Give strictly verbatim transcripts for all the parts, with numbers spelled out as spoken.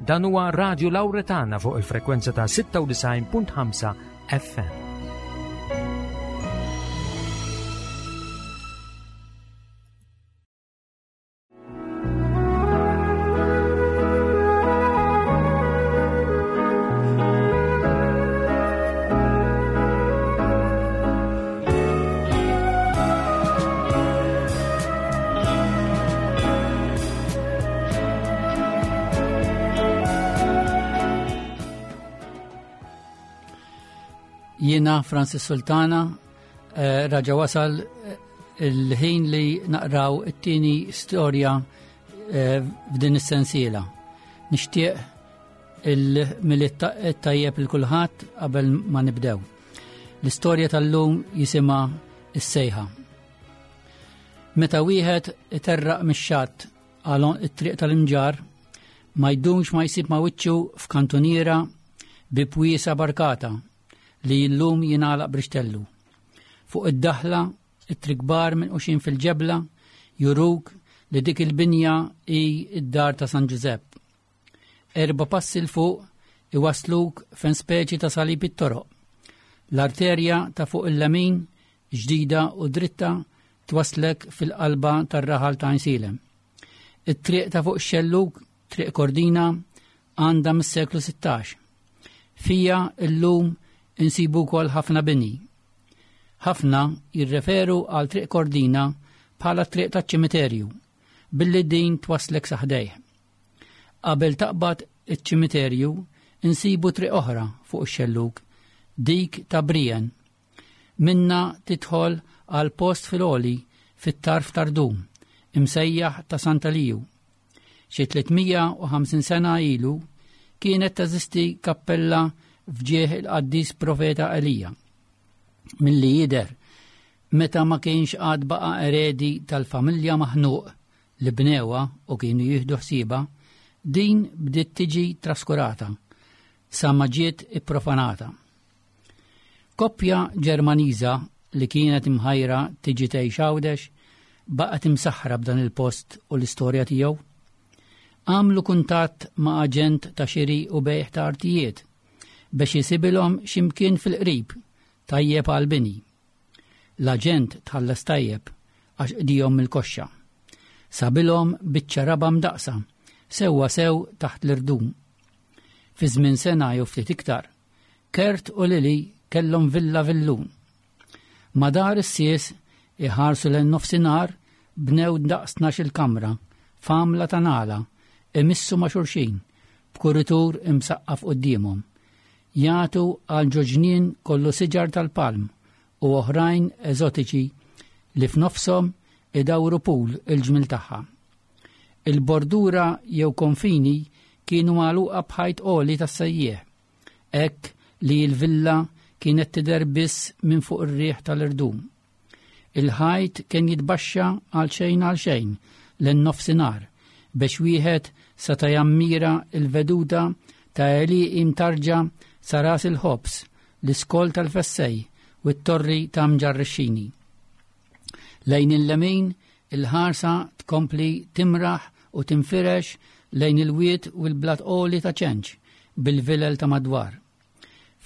Dan huwa Radio Lauretana fuq il-frekwenza ta' sitta u disgħin punt ħamsa F M. Jiena Francis Sultana, eh, raġa wasal eh, il-ħin li naqraw it-tieni storja eh, f'din is-sensiela. Nixtieq il-Milied tajjeb lil kulħadd qabel ma nibdew. L-istorja tal-lum jisimha Is-Sejħa. Meta wieħed iterraq mix-xatt għal it-triq tal-Imġarr, ma jdumx ma jsib ma wiċċu f'kantuniera bi pwiesa barkata li llum jingħalaq brixtellu. Fuq id-daħla, ittri kbar minquxin fil-ġebla juruk li dik il-binja hi id-dar ta' San Ġużepp. Erba passi 'l fuq iwasluk fejn speċi ta' salib it-toroq. L-arterja ta' fuq il-lemin, ġdida u dritta, twaslek fil-qalba tar-raħal ta' Għajnsielem. It-triq ta' fuq xellug, Triq Kordina, għandha mis-seklu sittax. Fija illum insibu wkoll ħafna bini. Ħafna jirreferu għal Triq Kordina bħala triq ta' ċimiterju, billi din twaslek sa ħdejh. Qabel taqbad iċ-ċimiterju insibu triq oħra fuq ix-xellug, dik ta' Brijen. Minna tidħol għal post fil-għoli fit-tarf tar-rdum, imsejjaħ ta' Sant'Eliju. Xi tliet mija u ħamsin sena ilu kienet teżisti kappella f'ġieħ il-qaddis profeta Elija. Milli jidher, meta ma kienx għad baqa eredi tal-familja maħnuq li bnewha u kienu jieħdu ħsiebha, din bdiet tiġi traskurata sa ma ġiet ipprofanata. Koppja Ġermaniża li kienet imħajra tiġi tgħix Għawdex baqgħet imsaħra b'dan il-post u l-istorja tiegħu. Għamlu kuntatt ma' aġent ta' xiri u bejħ ta' artijiet biex jisibilhom ximkien fil-qrib tajjeb għal-bini. L-aġent tħallas tajjeb għax qdihom mill-koxxa. Sabilhom biċċa raba mdaqsa, sewwa sew taħt l-irdum. Fi żmien sena jew ftit iktar, Kert u Lili kellhom villa villun. Madar is-sies iħarsu lejn nofsinhar bnew daqs il-kamra, f'għamla ta' nagħla, imissu ma' xulxin, b'kuritur imsaqqaf quddiemhom. Jagħtu għal ġo ġnien kollu siġar tal-palm u oħrajn eżotiċi li f'nofshom idawru pool il-ġmil tagħha. Il-bordura jew konfini kienu magħluqa b'ħajt għoli tas-sejjieħ, hekk li l-villa kienet tidher biss minn fuq ir-riħ tal-irdum. Il-ħajt kien jitbaxxa għal xejn għal xejn lejn nofsinhar biex wieħed seta' jammira il-veduta ta' għelieqi mtarġa sa Ras il-Ħobż, l-iskol tal-Fessej u t-torri ta' Mġarrixxini. Lejn il-lemin il-ħarsa tkompli timraħ u tinfirex lejn il-wiet u l-blat għoli ta' Ċenċ bil-vilel ta' madwar.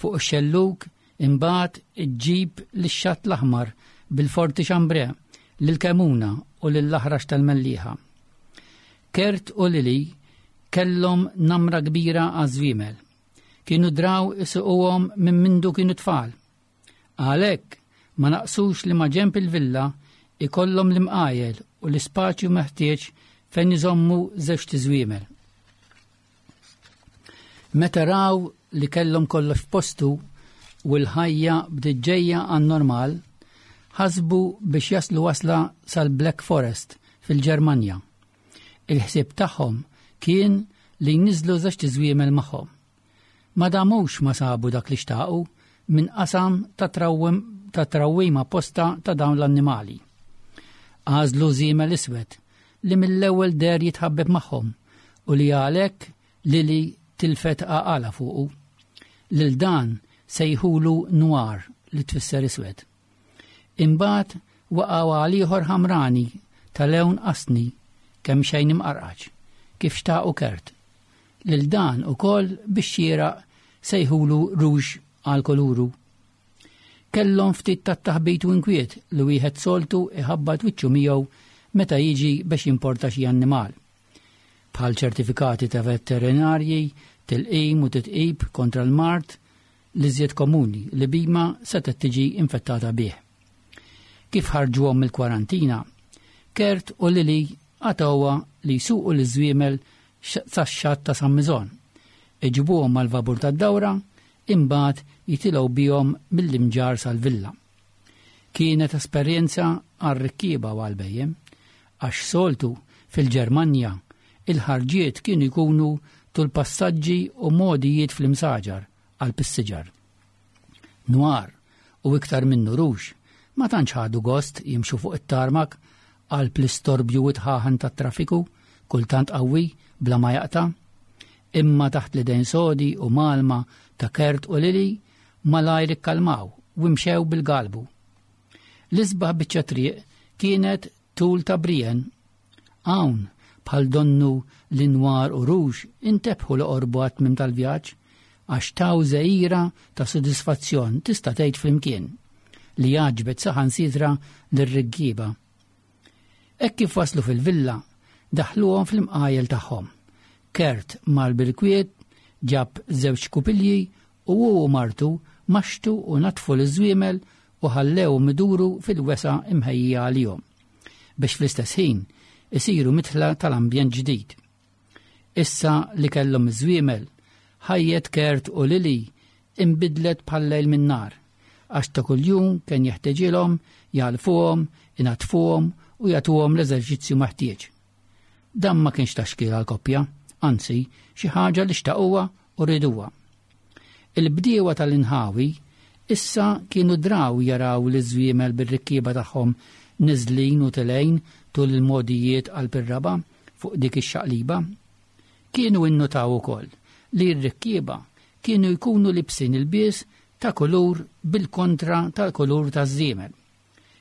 Fuq ix-xellug imbagħad iġġib lix-Xatt l-Aħmar bil-Forti Xambre, lil-Kemuna u lill-Aħrax tal-Mellieħa. Kert u Lili kellhom namra kbira għaż-żwiemel. Kienu draw isuquhom minn mindu kienu tfal. Għalhekk ma naqsux li ma ġenb il-villa ikollhom l-imqajel u l-ispaċju meħtieġ fejn iżommu żewġt iżwiemel. Meta raw li kellhom kollox f'postu u l-ħajja bdiet ġejja għan-normal, ħasbu biex jaslu wasla sal-Black Forest fil-Ġermanja. Il-ħsieb tagħhom kien li jniżlu żewġt iżwiemel magħhom. Ma damux ma sabu dak li xtaqu minn qasam ta' trawwim ta' trawwima posta ta' dawn l-annimali. Għażlu żiemel iswed li mill-ewwel deher jitħabbeb magħhom u li għalhekk Lili tilfet għaqalha fuqu. Lil dan sejħulu Noir, li tfisser iswed. Imbagħad waqgħu għal ieħor ħamrani ta' lewn qasni kemm xejn imqarqaċ, kif xtaqu Kert. Lil dan ukoll biex xieraq sejħulu Rouge għal koluru. Kellhom ftit tat-taħbit u inkwiet li wieħed soltu iħabbat wiċċu miegħu meta jiġi biex jimporta xi annimal. Bħal ċertifikati ta' veterinarji, tilqim u titqib kontra l-mard l-iżjed komuni li bima setgħet tiġi infettata bih. Kif ħarġuhom mill-kwarantina, Kurt u Lili għatawha li jsuqu l-żwiemel sax-xatt ta' San Miżon. Iġibuhom mal-vapur tad-dawra, imbagħad jitilgħu bihom mill-Imġarr sal-villa. Kienet esperjenza għar-rikkieba u għal-bhejjem, għax soltu fil-Ġermanja il-ħarġiet kienu jkunu tul passaġġi u mogħdijiet fl-imsaġar għal is-siġar. Nwar u iktar minnu Rouge ma tantx ħadu gost jimxu fuq it-tarmak għal pl-istorbju u tħaħan tat-traffiku kultant qawwi bla ma jaqta', imma taħt l-idejn sodi u mgħallma ta' Kurt u Lili malajr ikkalmaw u imxew bil-galbu. L-isbaħ biċċa triq kienet tul ta' Brienn. Hawn bħal donnu li Nwar u Rouge intebħu li qorbu għat-tmiem tal-vjaġġ għax taw żegħira ta' sodisfazzjon tista' tgħid flimkien li għaġbet saħansitra lir-rikkieba. Hekk kif waslu fil-villa, daħluhom fl-imqajel tagħhom. Kurt mar bil-kwiet, ġab żewġ kupilji u hu u martu maxtu u natfu l-żwiemel u ħallew miduru fil-wesgħa imħejjija għalihom biex fl-istess ħin isiru midħla tal-ambjent ġdid. Issa li kellhom iż-żwiemel, ħajjet Kurt u Lili imbidlet bħal-lejl min-nhar, għax ta' kuljum kien jeħteġilhom jgħalfuhom, inatfuhom u jagħtuhom l-eżerċizzju meħtieġ. Dan ma kienx ta' xkiel għal-koppja, anzi xi ħaġa li xtaquha u riduha. Il-bdiewa tal-inħawi issa kienu draw jaraw l-żwiemel bir-rikkieba tagħhom niżlin u telgħin tul il-mogħdijiet għal bir-raba' fuq dik ix-xaqliba. Kienu innotaw ukoll li r-rikkieba kienu jkunu libsin ilbies ta' kulur bil-kontra tal-kulur ta' żiemel.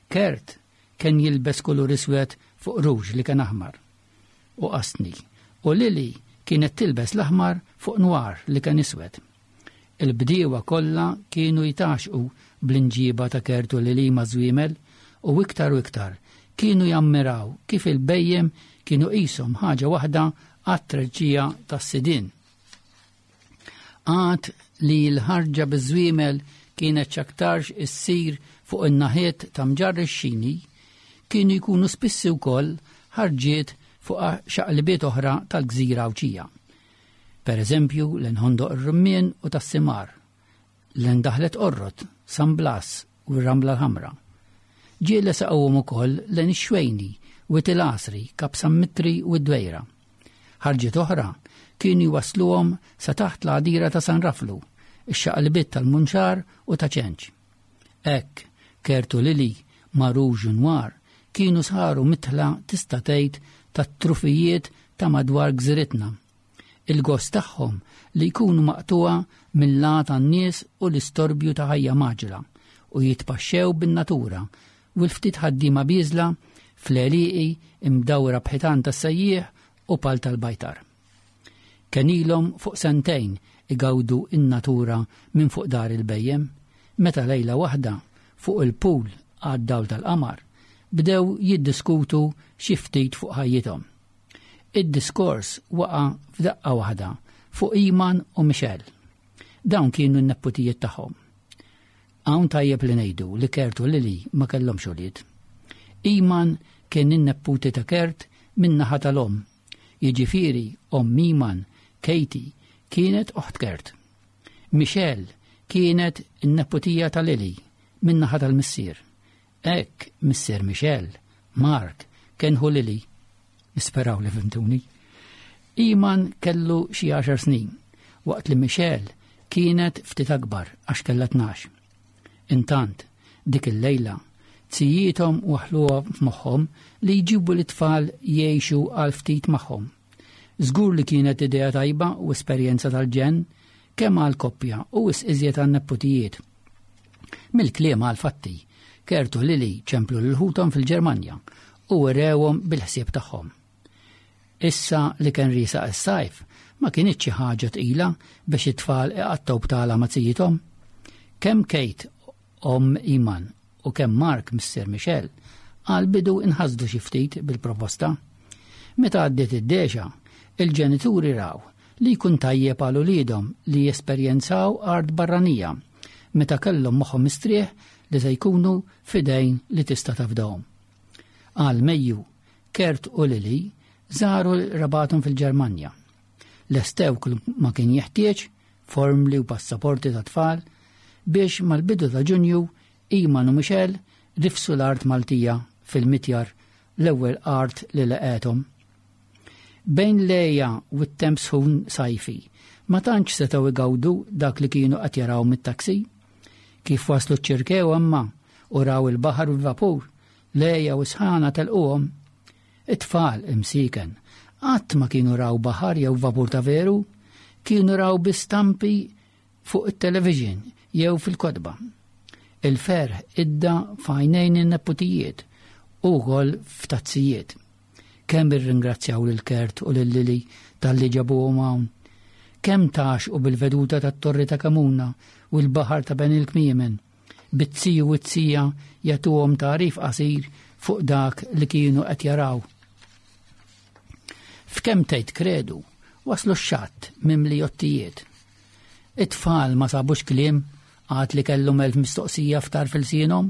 Kurt kien jilbes kulur iswed fuq Rouge li kien aħmar u qastni, u Lili kienet tilbes l-aħmar fuq Nwar li kien iswed. Il-bdiewa kollha kienu jitgħaxxqu bl-imġiba ta' Kurt u Lili maż-żwiemel u iktar u iktar kienu jammiraw kif il-bhejjem kienu qishom ħaġa waħda għat-treġġija tas-sidin. Għad li l-ħarġa biż-żwiemel kienet x'aktarx issir fuq in-naħiet ta' Mġarr ix-Xini, kienu jkunu spissi wkoll ħarġiet fuq xaqlibiet oħra tal-gżira Għawdxija. Per eżempju, lejn Ħondoq ir-Rummien u tas-Simar, lejn Daħlet Qorrot, San Blas u r-Ramla l-Ħamra. Ġieli saqawhom ukoll lejn ix-Xwejni, Wied il-Għasri, Kap San Mitri u d-Dwejra. Ħarġiet oħra kienu jwasluhom sa taħt l-għadira ta' San Raflu, ix-xaqlibiet tal-Munxar u ta' Ċenċ. Hekk, Kurt u Lili, ma' Rouge u Nwar, kienu saru midħla tista' tgħid tat-trufijiet ta' madwar gżiritna. Il-gost tagħhom li jkunu maqtuwa mill-lat tan-nies u l-istorbju ta' ħajja mgħaġġla u jitpaxxew bin-natura u l-ftit ħaddiema bieżla fl-għelieqi imdawra b'ħitan tas-sejjieħ u pal tal-bajtar. Kien ilhom fuq sentejn igawdu in-natura minn fuq dar il-bhejjem, meta lejla waħda fuq il-pool għad-dawl tal-qamar bdew jiddiskutu xi ftit fuq ħajjithom. Id-diskors waqa' f'daqqa waħda fuq Iman u Michelle. Dawn kienu n-nepputijiet tagħhom. Hawn tajjeb li ngħidu li Kurt u Lili ma kellhomx ulied. Iman kien in-nepputi ta' Kurt min-naħa tal-omm. Jiġifieri omm Iman, Katie, kienet oħt Kurt. Michelle kienet in-nepputija ta' Lili min-naħa tal-missier. Hekk missier Michelle, Mark, kien ħu Lili. Nisperaw li fhimtuni. Iman kellu xi għaxar snin, waqt li Michelle kienet ftit akbar għax kellha tnax. Intant, dik il-lejla, zijiethom waħluha f'moħħhom li jġibu l-tfal jgħixu għal ftit magħhom. Żgur li kienet idea tajba u esperjenza tal-ġenn kemm għal koppja u wisq iżjed għal nepputijiet. Mill-kliem għal fatti, Kurt u Lili ċemplu lil ħuthom fil-Ġermanja u werewhom bil-ħsieb tagħhom. Issa li kien riesaq is-sajf, Ma kinitx xi ħaġa tqila biex it-tfal iqattgħu btala ma' zijithom. Kemm Kate omm Iman u kemm Mark missier Michelle għal bidu inħasdu xi ftit bil-proposta. Meta għaddiet id-dexa, il-ġenituri raw li jkun tajjeb għal uliedhom li jesperjenzaw art barranija meta kellhom moħħhom mistrieħ li se jkunu f'idejn li tista' tafdahom. Għal Mejju, Kurt u Lili żaru qrabathom fil-Ġermanja. Lestew kull ma kien jeħtieġ formli u passaporti ta' tfal biex mal-bidu ta' Ġunju Iman u Michelle rifsu l-art Maltija fil-mitjar, l-ewwel art li laqgħethom. Bejn l-għeja u t-temp sħun sajfi, ma tantx setgħu igawdu dak li kienu qed jaraw mit-taksi. Kif waslu ċ-Ċirkewwa imma u raw il-baħar u l-vapur, l-għeja u sħana telquhom. It-tfal imsiken, qatt ma kienu raw baħar jew vapur ta' veru, kienu raw bi stampi fuq it-television jew fil-kotba. Il-ferħ idda f'għajnejn in-neputijiet u wkoll f'tazzijiet. Kemm irringrazzjaw lil Kurt u lil Lili talli ġabuhom hawn. Kemm tgħaxxqu bil-veduta tat-Torri ta' Kamuna u l-baħar ta' bejn il-kmiemen. Bit-ziju u t-zija jagħtuhom tagħrif qasir fuq dak li kienu qed jaraw. F'kemm tgħid kredu, waslu x-xatt mimli jottijiet. It-tfal ma sabux kliem għad li kellhom elf mistoqsija f'tarf ilsienhom.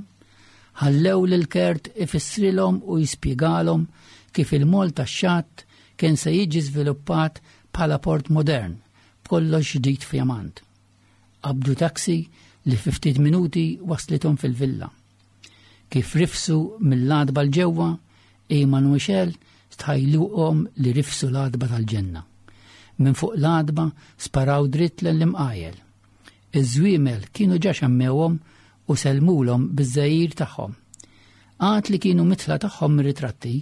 Ħallew lil Kurt ifissrilhom u jispjegalhom kif il-mol tax-xatt kien se jiġi żviluppat bħala port modern, b'kollox ġdid fjamant. Qabdu taksi li fi ftit minuti waslithom fil-villa. Kif rifsu mill-għatba 'l ġewwa, Iman u Michelle stħajluhom li rifsu l-għatba tal-ġenna. Minn fuq l-għatba sparaw dritt l-imqajel. Iż-żwiemel kienu ġa xammewhom u selmulhom biż-żgħir tagħhom. Għad li kienu mitla tagħhom mir-ritratti,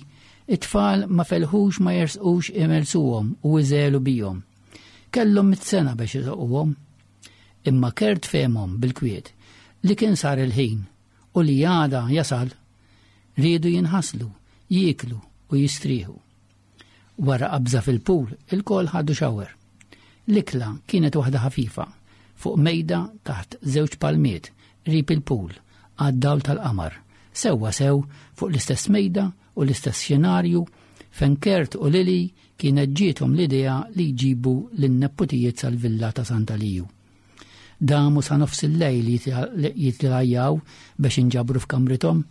it-tfal ma felħux ma jersqux imelsuhom u iżelu bihom. Kellhom mitt sena biex isoquhom. Imma Kurt fehmhom bil-kwiet li kien sar il-ħin u li għada jasal riedu jinħaslu, jieklu u jistrieħu. Wara qabża fil-pool, ilkoll ħadu shower. L-ikla kienet waħda ħafifa, fuq mejda taħt żewġ palmiet, qrib il-pool, għad-dawl tal-qamar, sewwa sew fuq l-istess mejda u l-istess xenarju fejn Kurt u Lili kienet ġiethom l-idea li jġibu lin-neputijiet sal-villa ta' Santa Liju. Damu sa nofs il-lejl jitlajjaw biex inġabru f'kamrithom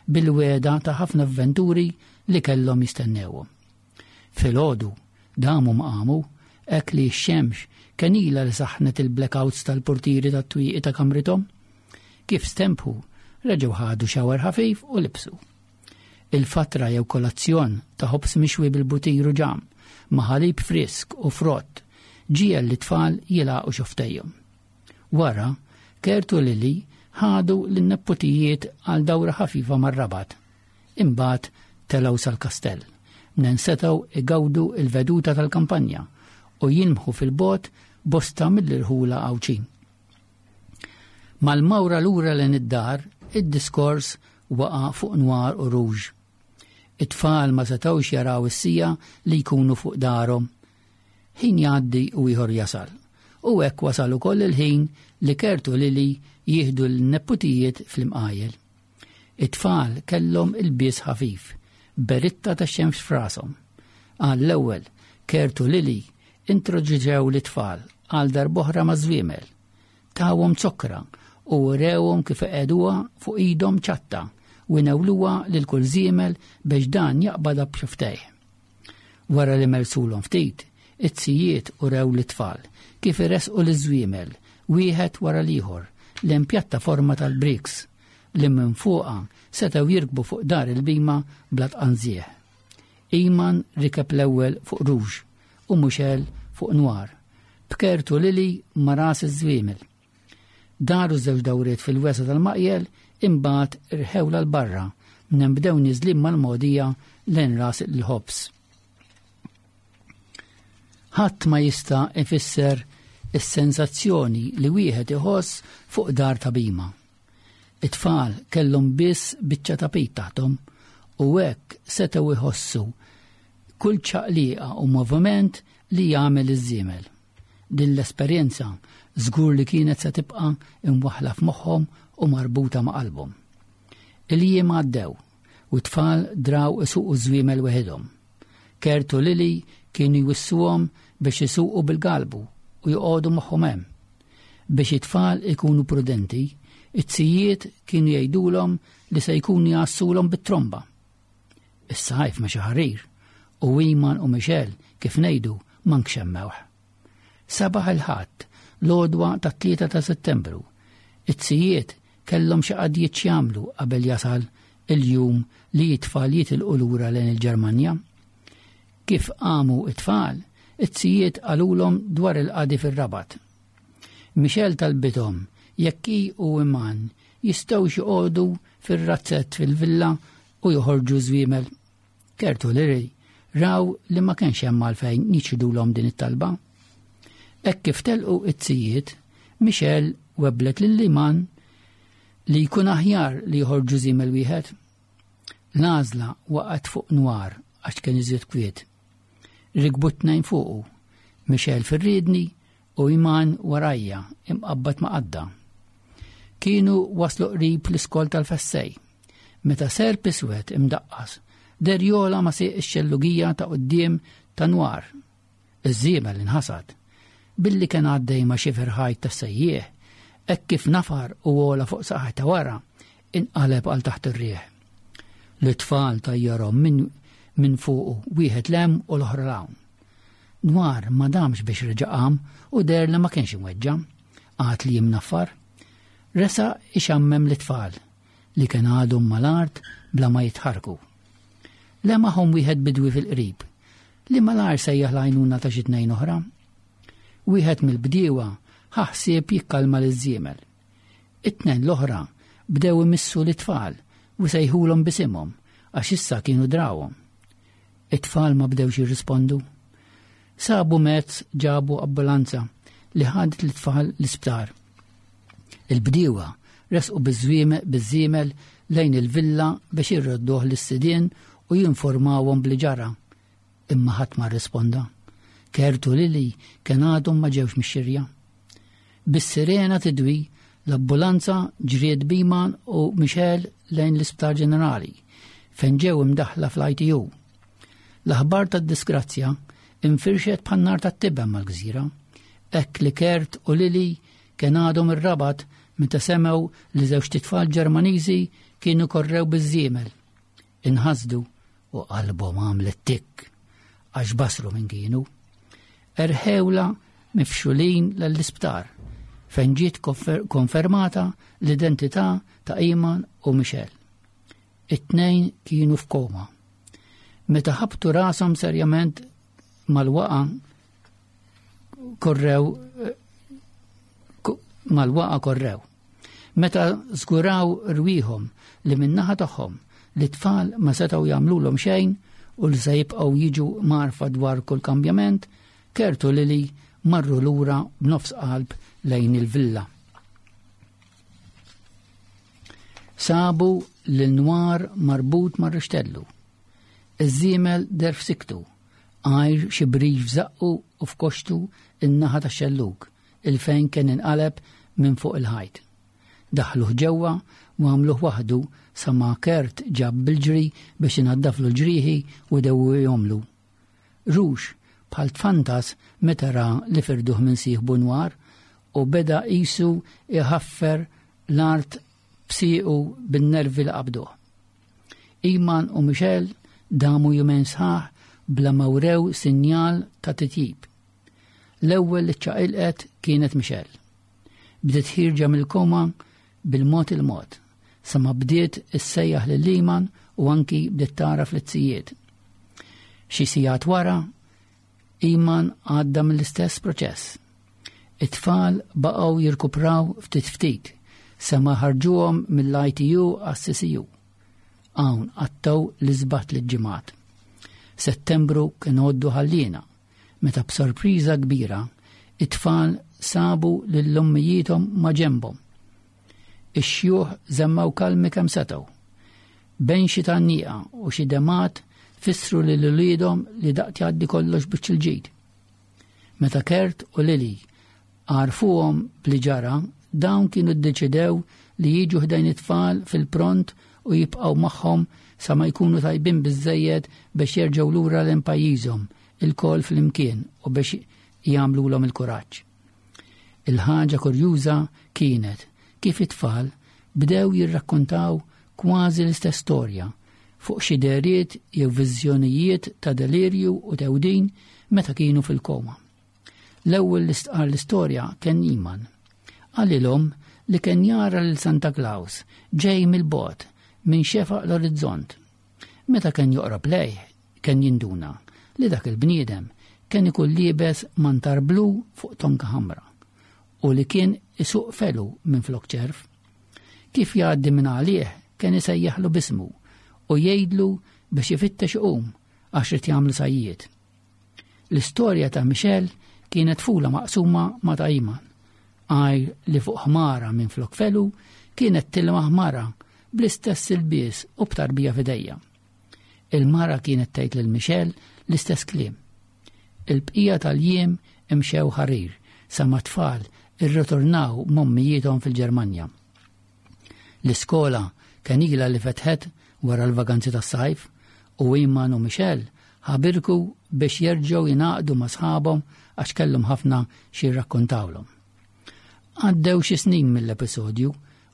bil-wegħda ta' ħafna avventuri li kellhom jistennewhom. Filgħodu damu ma qamu hekk li x-xemx kien ilha li saħnet il-blackouts tal-portieri tat-twieqi ta' kamrithom. Kif stenbħu, reġgħu ħadu shower ħafif u libsu. Il-fatra jew kolazzjon ta' ħobż mixwi bil-butir u ġam, ma' ħalib frisk u frott, ġiegħel lit-tfal jilagħqu xofftejhom. Wara, Kurt u Lili ħadu lin-neputijiet għal dawra ħafifa mar-Rabat. Imbagħad telgħu sal-kastell, minn setgħu igawdu il-veduta tal-kampanja u jilmħu fil-bogħod bosta mill-irħula Għawdxin. Mal-mawra lura lejn id-dar, id-diskors waqa' fuq Noir u Rouge. It-tfal ma setgħux jaraw is-siegħa li jkunu fuq darhom. Ħin jgħaddi u ieħor jasal. U hekk wasal ukoll il-ħin li Kurt u Lili jieħdu l-neputijiet fl-imqajel. It-tfal kellhom ilbies ħafif, beritta ta' xemx f'rashom. Għall-ewwel, Kurt u Lili introduċew l-tfal għal darb'oħra ma' żwiemel. Tawhom zokkra u wrewhom kif iqegħduha fuq idhom ċatta u jnewluha lil kull żiemel biex dan jaqbadha b'xufftejh. Wara li melsulhom ftit, it-zijiet urew l-tfal kif iresqu l-żwiemel wieħed wara l-ieħor lejn pjattaforma tal-bricks li minn fuqha setgħu jirkbu fuq dar il-bima bla tqanżieħ. Iman rikeb l-ewwel fuq Rouge u Michelle fuq Noir, b'Kurt u Lili ma' ras iż-żwiemel. Daru żewġ dawriet fil-wesgħa tal-maqjel, imbagħad irħewla 'l barra minn bdew niżlin mal-mogħdija lejn Ras il-Ħobż. Ħadd ma jista' ifisser is-sensazzjoni li wieħed iħoss fuq dar ta' bima. It-tfal kellhom biss biċċa tapit taħthom u hekk setgħu iħossu kull ċaqliqa u moviment li jagħmel iż-żiemel. Din l-esperjenza żgur li kienet se tibqa' imwaħħla f'moħħhom u marbuta ma' qalbhom. Il-jiem għaddew u t-tfal draw isuqu żwiemel weħidhom. Kurt u Lili kienu jwissuhom biex isuqu bil-galbu u joqogħdu moħħhom hemm. Biex it-tfal ikunu prudenti, it-zijiet kienu jgħidulhom li se jkunu jgħassulhom bit-tromba. Is-sajf mexa ħarir u Iman u Michelle kif ngħidu mank xemmewh. Sabaħ il-Ħadd, l-għodwa tat-tlieta ta' Settembru. It-zijiet kellhom xi qadjiet x'jagħmlu qabel jasal il-jum li t-tfal jitilqu lura lejn il-Ġermanja. Kif qamu it-tfal, it-zijiet qalulhom dwar il-qadi fir-Rabat. Michelle talbithom jekk hi u Iman jistgħux joqogħdu fir-razzett fil-villa u joħorġu żwiemel. Kurt u Lili raw li ma kienx hemm għalfejn jiċħdulhom din it-talba. Hekk kif telqu it-zijiet, Michelle webblet lil Iman li jkun aħjar li joħorġu żiemel wieħed. L-għażla waqgħet fuq Nwar għax kien iżjed kwiet. Rikbu tnejn fuqu, Michelle fir-riedni u Iman warajja imqabbad ma' qadda. Kienu waslu qrib l-iskol tal-Fessej. Meta serp iswed imdaqqas, deher jogħla ma' sieq ix-xellugija ta' quddiem ta' Nwar. Iż-żiemel inħasad. Billi kien għaddej ma' xifer ħajt tas-sejjieħ, hekk kif nafar u għola fuq saqajh ta' wara, inqaleb għal taħt ir-riħ. L-tfal tajjarhom minn min fuqu wieħed 'l hemm u l-oħra 'l hawn. Nwar ma damx biex reġa' qam u deher li ma kienx imweġġa', għad li jimnaffar. Resaq ixammem l-tfal li kien għadhom mal-art bla ma jitħarku. Lemaħhom wieħed bidwi fil-qrib, li malajr sejjaħ l-għajnuna ta' xi tnejn oħra. Wieħed mill-bdiewa ħa ħsieb jikkalma liż-żiemel. It-tnejn l-oħra bdew imissu l-tfal u sejħulhom b'isimhom għax issa kienu drawhom. It-tfal ma bdewx jirrispondu. Sabu mezz ġabu ambulanza li ħadet l-tfal l-isptar. Il-bdiewa resqu biż-żiemel lejn il-villa biex irrodduh lis-sidien u jinformawhom bli ġara. Imma ħadd ma rrisponda. Kurt u Lili kien għadhom ma ġewx mix-xirja. Bis-sirena tidwi, l-ambulanza ġriet b'Iman u Michelle lejn l-Isptar Ġenerali, fejn ġew imdaħla fl-I T U. L-aħbar tad-disgrazzja infirxet bħan-nar tat-tiben mal-gżira, hekk li Kurt u Lili kien għadhom ir-Rabat meta semgħu li żewġt itfal Ġermaniżi kienu korrew biż-żiemel. Inħasdu u qalbhom għamlet tik għax basru minn kienu. Erħewla mifxulin l-isptar fejn ġiet konfermata l-identità ta' Iman u Michelle. It-tnejn kienu f'koma. Meta ħabtu rashom serjament mal-waqa korrew mal-waqa korrew. Meta żguraw rwieħhom li min-naħa tagħhom li tfal ma setgħu jagħmlulhom xejn u li se jibqgħu jiġu mgħarrfa dwar kull kambjament, Kurt u Lili marru lura b'nofs qalb lejn il-villa. Sabu lil Nwar marbut mar-rixtellu. Iż-żiemel deher f'siktu, għajr xi brix f'żaqqu u f'koxtu in-naħa tax-xellug, il-fejn kien inqaleb minn fuq il-ħajt. Daħluh ġewwa u għamluh waħdu sa ma Kurt ġab bil-ġri biex inaddaflu l-ġrieħi u dewwihomlu. Rux bħal tfantas meta ra li firduh minn sieħbu Nwar u beda qisu iħaffer l-art b'siequ bin-nervi li qabduh. Iman u Michelle damu jumejn sħaħ bla ma wrew sinjal ta' titjib. L-ewwel li ċċaqilqet kienet Michelle. Bdiet ħierġa mill-koma bil-mod il-mod, sa ma bdiet issejjaħ lil Iman u anki bdiet tara fl-izzijiet. Xi sigħat wara, Iman għadda mill-istess proċess. It-tfal baqgħu jirkupraw ftit ftit, sa ma ħarġuhom mill-I T U għas-C C U. Hawn qattgħu l-isbaħ tliet ġimgħat. Settembru kien għoddu ħallina, meta b'sorpriża kbira it-tfal sabu lil ommijiethom ma' ġenbhom. Ix-xjuħ żammew kalmi kemm setgħu. Bejn xi tgħanniqa u xi demgħat fissru lil uliedhom li daqt jgħaddi kollox biċ il-ġid. Meta Kurt u Lili għarfuhom bli ġara, dawn kienu ddeċidew li jiġu ħdejn it-tfal fil-pront u jibqgħu magħhom sa ma jkunu tajbin biżżejjed biex jerġgħu lura lejn pajjiżhom ilkoll flimkien u biex jagħmlulhom il-kuraġġ. Il-ħaġa kurjuża kienet kif it-tfal bdew jirrakkontaw kważi l-istess storja fuq xi dehriet jew viżjonijiet ta' delirju u tewdin meta kienu fil-koma. L-ewwel li stqar l-istorja kien Iman. Qalilhom li kien jara lil Santa Claus ġej mill-bogħod minn xefaq l-orizzont. Meta kien joqrob lejh, kien jinduna li dak il-bniedem kien ikun liebes mantar blu fuq tonka ħamra u li kien isuq felu minn flok ċerv. Kif jgħaddi minn għalih kien isejjaħlu b'ismu u jgħidlu biex ifittex iqum għax irid jagħmlu sajjied. L-istorja ta' Michelle kienet fula maqsuma ma' ta' Iman, għajr li fuq ħmara minn flok felu kienet tilma ħmara bl-istess ilbies u b'tarbija f'idejha. Il-mara kienet tgħid lil Michelle l-istess kliem. Il-bqija tal-jiem imxew ħarir sa ma tfal irritornaw m'ommijiethom fil-Ġermanja. L-iskola kien ilha li fetħet wara l-vaganzi tas-sajf u Iman u Michelle ħabirku biex jerġgħu jingħaqdu ma' sħabhom għax kellhom ħafna xi jirrakkontawlhom. Għaddew xi snin mill-episodju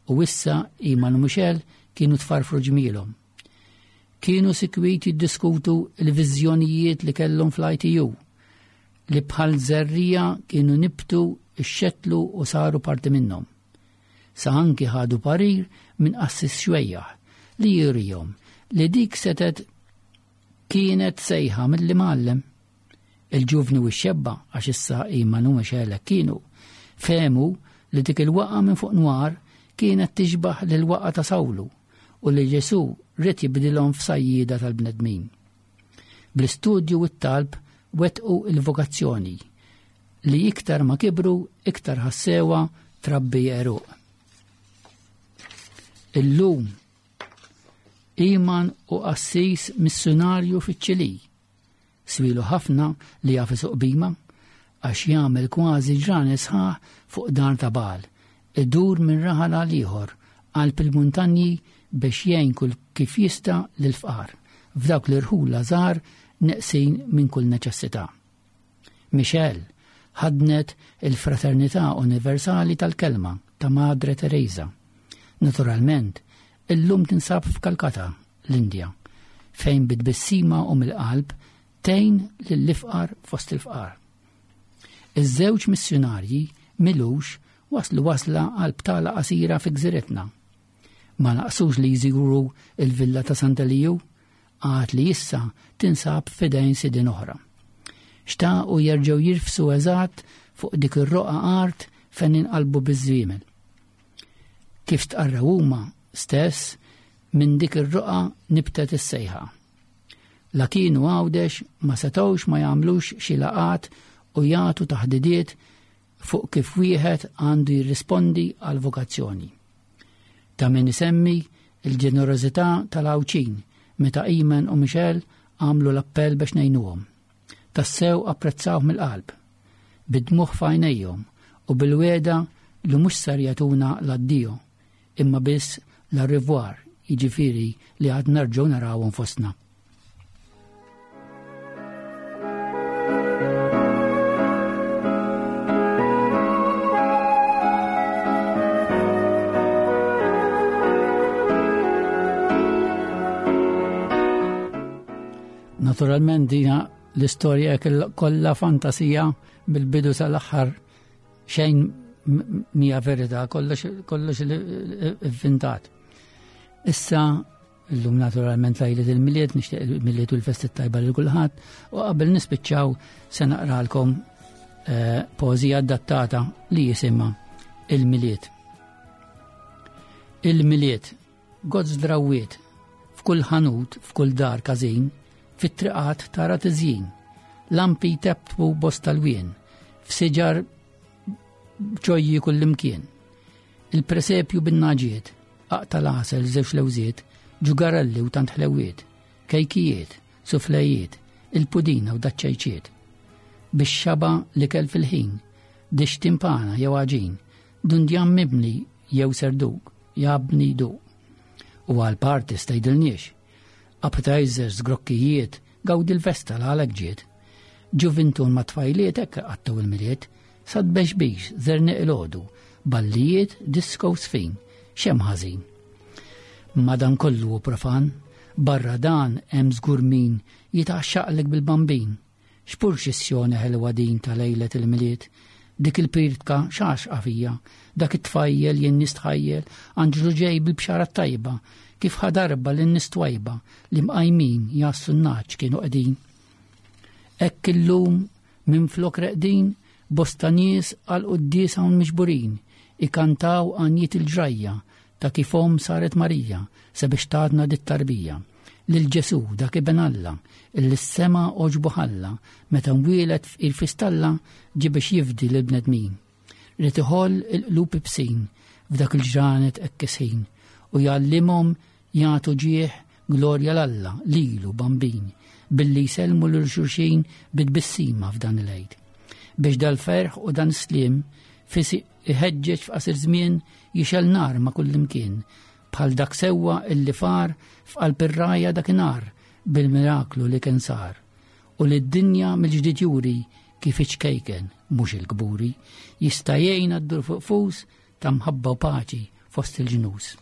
u issa Iman u Michelle kienu tfarfru ġmielhom. Kienu sikwit jiddiskutu l-viżjonijiet li kellhom fl-I T U li bħal żerriegħa kienu nibtu, ixxetlu u saru parti minnhom. Sa anki ħadu parir minn qassis xwejjaħ li jurihom li dik setet kienet sejħa mill-Imgħallem. Il-ġuvni u x-xebba, għax issa Iman u Michelle kienu, fehmu li dik il-waqa minn fuq nwar kienet tixbaħ lil-waqa ta' Sawlu u li Ġesu ried jibdilhom f'sajjida tal-bnedmin. Bl-istudju u t-talb wettqu il-vokazzjoni li iktar ma kibru iktar ħassewa trabbi għeruq. Illum Iman hu qassis missjonarju fiċ-Ċilì. Swielu ħafna li jaf isuq bima għax jagħmel kważi ġranet sħaħ fuq dar ta' bagħal, idur minn raħal għal ieħor qalb il-muntanji biex jgħin kull kif jista' lill-fqar f'dawk l-irħula żgħar neqsin minn kull neċessità. Michelle ħadnet il-Fraternità Universali tal-Kelma ta' Madre Teresa. Naturalment, illum tinsab f'Kalkata, l-Indja, fejn bit-tbissima u mill-qalb tgħin lill-ifqar fost il-fqar. Iż-żewġ missjonarji m'ilux waslu wasla għal btala qasira fi gżiretna. Ma naqsux li jżuru il-villa ta' Sant'Eliju, għad li issa tinsab f'idejn sidin oħra. Xtaqu jerġgħu jirfsu eżatt fuq dik ir-roqa art fejn inqalbu biż-żwiemel. Kif tqarraw huma stess, minn dik ir-roqa nibtet is-sejħa. La kienu Għawdex ma setgħux ma jagħmlux xi laqat u jagħtu taħdidiet fuq kif wieħed għandu jirrispondi għal vokazzjoni. Ta' min isemmi il-ġenerożità tal-Għawdxin meta Iman u Michelle għamlu l-appell biex ngħinuhom. Tassew apprezzaw mill-qalb, bid-dmugħ f'għajnejhom u bil-wegħda li mhux ser jagħtuna l-addio, imma biss l-au revoir, jiġifieri li għad nerġgħu narawhom fostna. Naturalment dina l-istorja kollha fantasija mill-bidu sal-aħħar, xejn mija verità, kollox kollox inventat. Issa illum naturalment lejlet il-Milied, nixtieq il-Milied u l-festi tajba lil kulħadd, u qabel nispiċċaw se naqralkom eh, poeżija adattata li jisimha Il-Milied. Il-Milied, gozz drawiet, f'kull ħanut, f'kull dar każin, fit-triqat tara tiżjin, lampi teptpu bosta lwien, f'siġar ġojji kullimkien. Il-presepju bin-nagħaġiet, aqta' l-għasel żewġ lewżiet, ġugarelli u tant ħlewiet, kejkijiet, suflejiet, il-pudina u daċ-ċajċiet. Bix-xaba l-ikel fil-ħin, dix timpana jew għaġin, dundjan mibni jew serduk, jabni duq. U għal parties tgħidilniex. Appetizers, grokkijiet, gawdi l-festa l-għalek ġiet. Ġuvintun ma tfajliet hekk għattu il-Milied, sad bexbix, zerniq il-għodu, ballijiet, disco sfin, xem ħażin. Madan kollu u profan, barra dan hemm żgur min jitgħaxxaqlek bil-bambin. X'purċissjoni ħelwa din ta' lejlet il-Milied, dik il-pirtka xaxqa fija, dak it-tfajjel jien nistħajjel, anġlu ġej bil-bxara tajba, kif ħadarba lin-nies twajba li mqajmin jassu n-naċ kienu qegħdin. Hekk illum minflok reqdin, bosta nies għal quddies hawn miġburin, ikantaw għanjiet il-ġrajja ta' kif omm saret Marija sabiex tatna dit-tarbija. Lil Ġesu dak ibn Alla, illi s-sema għoġbu ħalla, meta nwielet f'il-fistalla ġie biex jifdi lill-bnedmin. Ried iħoll il-qlub ibsin f'dak il-ġranet hekk isħin u jgħallimhom jagħtu ġieħ glorja l-Alla lilu bambin billi jsellmu lil xulxin bit-tbissima f'dan il-Għid. Biex dal-ferħ u dan is-sliem fis iħeġġeġ f'qasir żmien jixel nar ma' kullimkien bħal dak sewwa illi far f'qalb ir-rajja dakinhar bil-miraklu li kien sar u li d-dinja mill-ġdid juri kif iċkejken mhux il-kburi jista' jgħinna ddur fuq fus ta' mħabba u paċi fost il-ġnus.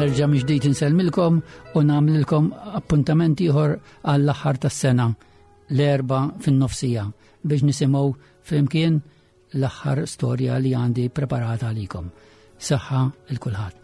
Nerġa' mill-ġdid insellmilkom u nagħmlilkom appuntament ieħor għall-aħħar tas-sena l-Erbgħa fin-nofsija biex nisimgħu flimkien l-aħħar storja li għandi preparata għalikom. Saħħa il kulħadd.